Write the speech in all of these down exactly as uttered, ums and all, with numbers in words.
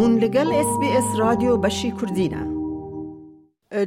Hûn li gel S B S Radyo Beşî Kurdî ne.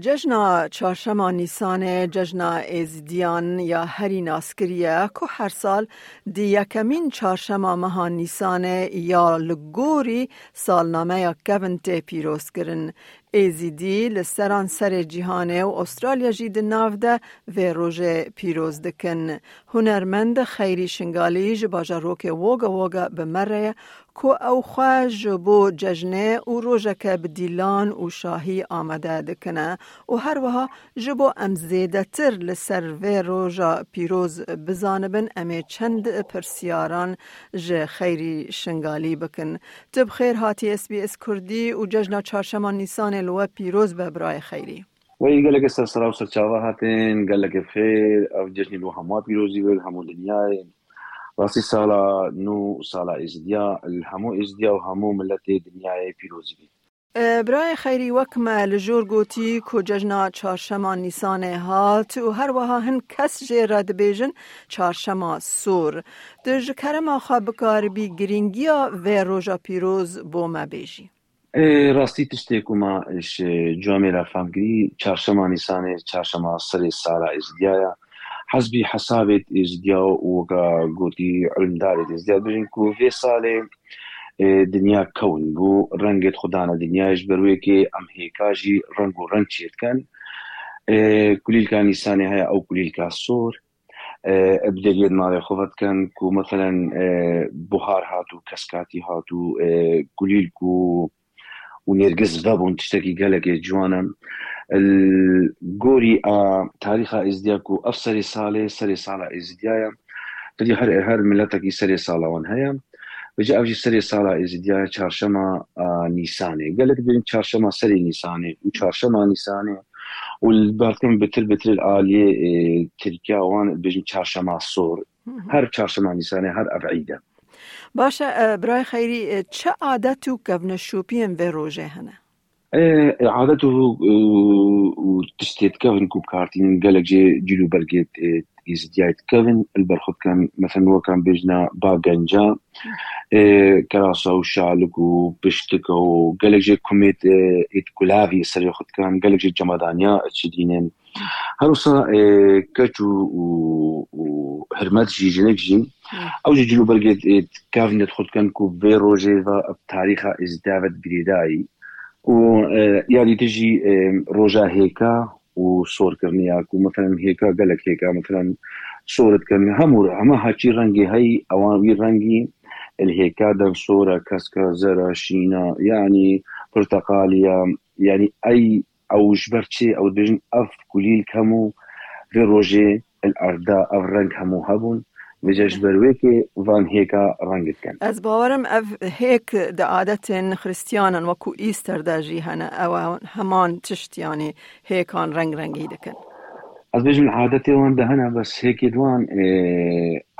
Cejna Çarşema Nîsanê cejna Êzidiyan ya herî naskirî ye, ku her sal di yekemîn çarşema meha Nîsanê ya li gorî salnameya kevin tê pîrozkirin. Êzidî li seranserê cîhanê û Australya jî di nav de vê rojê pîroz dikin. Hunermend Xeyrî Şingalî ji bajarokê Woga Woga bi me re ye, ku ew xwe ji bo cejnê û rojeke bi dîlan û şahî amade dikine û her wiha ji bo em zêdetir li ser vê roja pîroz bizanibin, em ê çend pirsiyaran ji Xeyrî Şingalî bikin. Tu bi xêr hatî S B S Kurdî û cejna çarşema Nîsanê li we pîroz be, birayê Xeyrî. Wey gelek ser sera û serçava hatin, gelek xêr, ev cejnê bo hemû pîrozî be, hemû dinyayê. Rastî sala nû, sala Êzidiya, li hemû Êzidiya û hemû miletê dinyayê pîrozî be. E, birayê Xeyrî, wek me li jor gotî ku cejna çarşema Nîsanê hat û her wiha hin kes jê re dibêjin çarşema sor. Tu ji kerema xwe bikaribî girîngiya vê roja pîroz bo me bêjî? E, rastî tiştê ku ma ji cûamê re fam kirî, çarşema Nîsanê, çarşema serê sala Êzidiya ye. Hesbî hesabê Êzidiya û weka gotî ilimdarê Êzidiya dibêjin ku vê salê, e, dinya kewin bû, rengê xwe dane dinyayê, ji ber wê kê em hêka jî reng û reng çêdikin. E, kulîlka Nîsanê heye, ew kulîlka sor. E, bi deriyê di navê xwe vedikin ku, meselen, e, buhar hat û keskatî hat û, e, kulîlk û, û nêrgiz vebûn, tiştekî gelekê ciwan e. Li gorî a tarîxa Êzidiya ku ev serê salê, serê sala Êzidiya ye. Tevî her, her miletekî serê sala wan heye. Vêca ev jî serê sala Êzidiya ye, çarşema, a, Nîsanê. Gelek dibêjin çarşema serê Nîsanê û çarşema Nîsanê. Û li berdim bitir bitir aliyê, e, Tirkiya wan dibêjin çarşema sor. Hı hı. Her çarşema Nîsanê, her ev îd e. Baş e, e, birayê Xeyrî, e, çi adet û kevneşopiyên vê rojê hene? E, e, adet û, û, û tiştê dikevin ku bi kar tînin, gelek jê cil û bergê, e, Êzidiyayê dikevin, li ber xwe dikin, mesela, wek em bêjin, ba genca, e, kerasa û şalik û piştika û gelek jê kumêt, e, êt gulavî serê xwe dikin, gelek jê cemadaniya çidînin. Her wisa, e, keç û, û, û hirmet jî, jinik jî, ew jî cil û bergê, e, dikevin, dixwe dikin ku vê rojê ve bi tarîxa Êzidiya ve girêdayî. Û, e, ya dîtir jî, e, roja hêka û sorkirinê ya ku, meselen, hêka, gelek hêka, meselen, sor dikin. Hemû, hema haçî rengê heyî, ewan wî rengî li hêka den sor e, kesk e, zer e, şîn e, yanî pirteqalî ye. Yanî ey, ew ji ber çi? Ew dibêjin, ev kulîlk hemû vê rojê li erd de ev reng hemû hebûn. Vêca ji ber wê kê van hêka reng dikin. Ez bawerim ev hêk di adetên Xristiyanan wekû Easter de jî hene. Ew heman tişt, yanî hêkan reng rengî dikin. Ez bêjim, adetê wan de hene, bes hêkê di wan, e,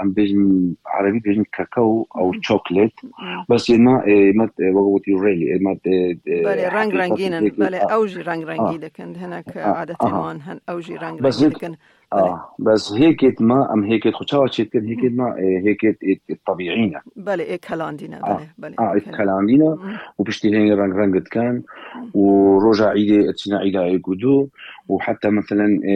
em bêjin, erebî bêjin kakao ew, hmm, chocolate. Hmm. Bes ê me, ê me, e, wek gotî rêlî, ê me, e, e, belê, reng rengîn in, hêkê, belê, a, ew jî reng rengî dikin, hinek, a, adetên wan hen, ew jî reng rengî dikin. Belê. A, bes hêkêt me, em hêkêt xwe çawa çêdikin? Hêkêt me, e, hêkêt, e, e, tebîî ne. Belê, ê kelandî ne, a, belê, belê, a, ê kelandî ne. Hı. Û piştî hêngê reng reng dikin. Hı. Û roja îdê, çine îda êk û du. Û heta, meselen, e,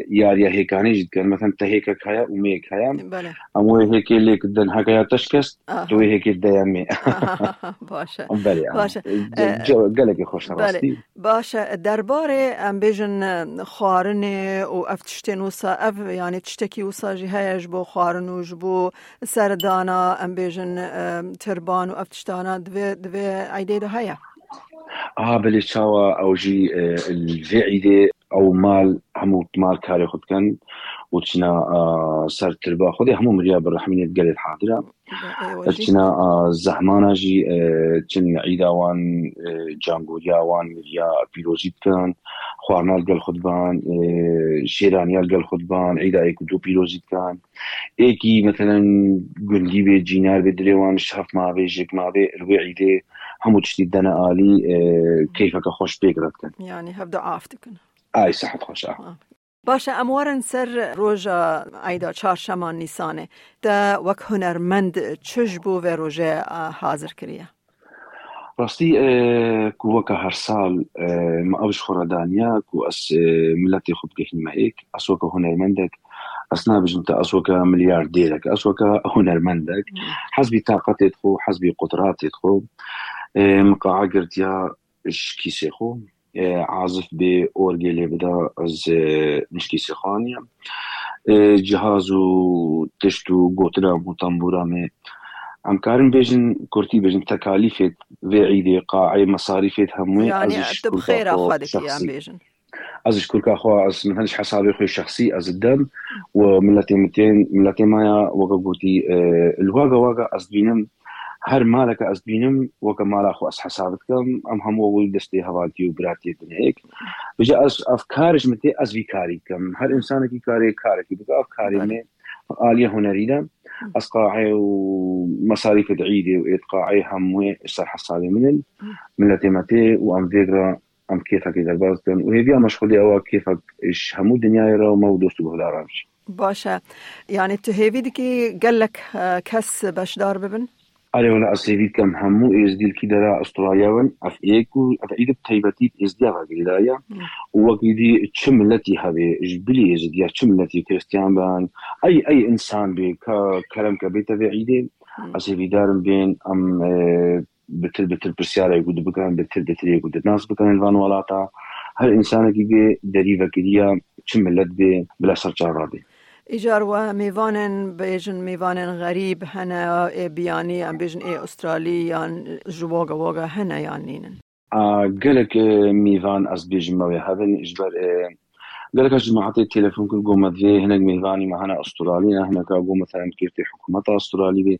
yariya hêkanê jî dikin. Meselen, te hêkek heye û mêyek heye. Belê. Em wê hêkê lêk din, heke ya te şikest, aha, tu wê hêkê deye mê. Aha, baş e. Belê, baş e. E, gelekî xweş e, belê, rastî. Baş e, derbarê, em bêjin, e, xwarinê û ev tiştên wisa, ev, yanî tiştekî wisa jî heye ji bo xwarin û ji bo serdana, em bêjin, e, tirban û ev tiştana di vê, di vê eydê de heye? A, belê, çawa ew jî, e, li vê eydê ew mal, hemû mal karê xwe dikin û çina, a, ser tirba. Xwedê hemû miriya bi rehmînê gelê hadir e. Çina, a, zehmana jî, e, çin îda wan, e, cangoriya wan miriya pîrozî dikin, xwarina li gel xwe diban, e, şêraniya li gel xwe diban, îda êk û du pîrozî dikin. Êkî, meselen, gundî bê, cînar bê, dilê wan şef mabê, jêk mabê, li wê îdê hemû tiştî dene alî, e, keyfeke xweş pêk re dikin. Yanî hevdu af dikin. Ay, sehet xweş, a. Baş e, em werin ser roja eyda çarşema Nîsanê. Te wek hunermend çi ji bo vê rojê, a, hazir kiriye? Rastî, e, ku weke her sal, e, me ev ji xwe re daniya ku ez, e, miletê xwe bigihînime êk, ez weke hunermendek, ez nabêjim te ez weke milyardêrek, ez weke hunermendek, Hmm. hezbî taqetê xwe, hezbî qudratê xwe, e, min qae girtiya ji kîsê xwe, e, azif bê orgê lê bida, ez, e, min ji kîsê xwe aniye. E, cihaz û tişt û gotina û tembûra me. Em karin bêjin, kurtî bêjin, tekalîfê vê îdê, qaê, mesarîfê hemû, Yanî ez ji tu bi kurka xêra xwe xwe dikî, em şexsî. bêjin. Ez ji kurka xwe, ez min hin ji hesabê xwe şexsî, ez didem û miletê min tên, miletê me ya, weke gotî, e, li waga waga ez dibînim, her maleke ez dibînim, weke mala xwe ez hesab dikim, em hemû wî destê hevaltî û biratiyê dinê êk. Vêca ez ev kar ji min tê, ez vî karî dikim. Her însanekî karê, karekî bike, ev karê Belê. min ê, aliyê hunerî de. Ez qaê û mesarîfê di îdê û êd qaê hemûyê ji ser hesabê min in. Miletê me tê û em vêg re em kêfekê derbas dikin. Û hêviya me ji Xwedê ew e kêfek ji hemû dinyayê re û me û dost û guhdaran jî. Baş e. Yanî tu hêvî dikî gelek, e, kes beşdar bibin? Erê, wela ez hêvî dikim hemû êzdî li kî dera Astraliya bin, ev êk û ev îd bi taybetî bi êzdiya ve girêdayî ye. Hmm. Û wekî dî çi miletî hebe, ji bilî êzdiya çi miletî, Kristiyan bin, ey, ey însan bê, ka kerem ke bête vê îdê, Hmm. ez hêvîdar im bên em, e, bitir bitir pirsyarê ku dibikin, bitir bitir yê ku dinas bikin li van welata. Her însanekî bê derî vekiriya çi milet bê, bila ser çava bê. Îcar we mêvanên, bêjin mêvanên xerîb hene, ê biyanî, em bêjin ê Australî yan ji woga woga hene yan nînin? A, gelek, e, mêvan ez bêjim me wê hebin, ji ber, e, gelek ez cemaetê telefon kir, got me divê hinek mêvanî me hene Australî ne, hineka got me, mesela, em kêftê hikûmeta Australî bê.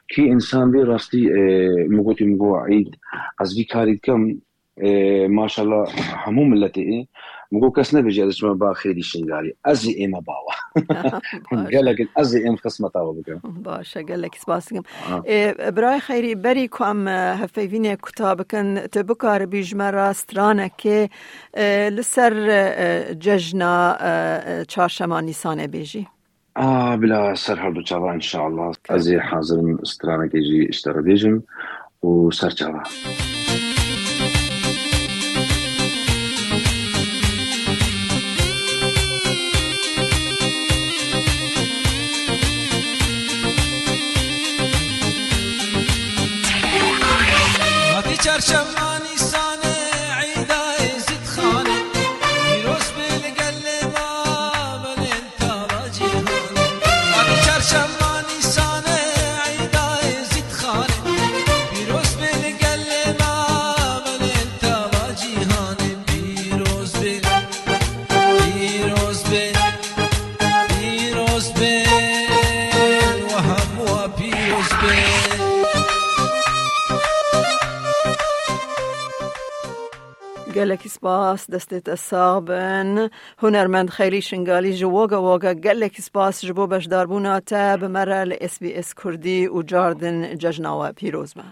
Kî însan bê rastî, e, min gotî, min got, Eîd, ez vî karî dikim, e, maşallah, hemû miletê ê. Min got, kes nebêje ez diçime ba xêrî Şingalî. Ez ê ême bawa. Baş. Gelek ez ê êm xismeta we bikim. Baş e, gelekî spas dikim. Ha. Ê, birayê Xeyrî, berî ku em, e, hevpeyvînê kuta bikin, tu bikaribî ji me re stranekê, e, li ser, e, cejna, e, e, çarşema Nîsanê bêjî? Ah, bila ser her du çava, inşallah. Ez ê hazir im stranekê jî ji te re bêjim û ser çava. Hatî çarşema Nîsanê, Îda Êzîdxanê, pîroz be li gelê ma belên tala cîhanê. Hatî çarşema Nîsanê, Îda Êzîdxanê, pîroz be li gelê ma belên tala cîhanê, pîroz be. Pîroz be, pîroz be, we hemû pîroz be. Gelekî spas, destê te sax bin. Hunermend Xeyrî Şingalî, ji woga woga gelekî spas ji bo beşdarbûna te bi me re li S B S Kurdî û cardin cejna we pîroz be.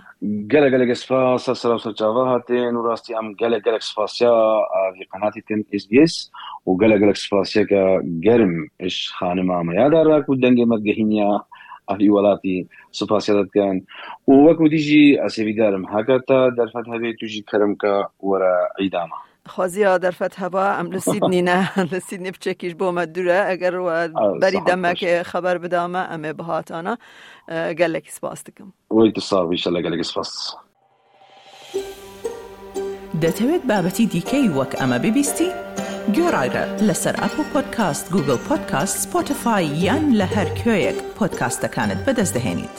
Gelek gelek spas, ez sera ser çava hatin û rastî em gelek gelek spasiya, a, vî qenatî dikin S B S û gelek gelek spasiyeke germ ji xanima me ya Dara ku dengê me digihîniya a vî welatî, spasiya te dikin. Û wek wî dî jî ez hêvîdar im heke te derfet hebe tu jî kerem ke were îda me. Xweziya derfet heba, em li Sydney ne, li Sydney piçekî ji bo me dûr e. Eger we Ah, berî saet demekê xweş. Xeber bida me, em ê bihatana. E, gelekî spas dikim. Wey tu sax bî, inşallah gelekî spas. دەتەوێت بابەتی دیکەی وەک ئەمە ببیستی؟ گوێڕایرە لەسەر ئەپڵ پۆدکاست، گوگڵ پۆدکاست، سپۆتیفای یان لە هەر کوێیەک پۆدکاستەکانت بەدەست دەهێنیت.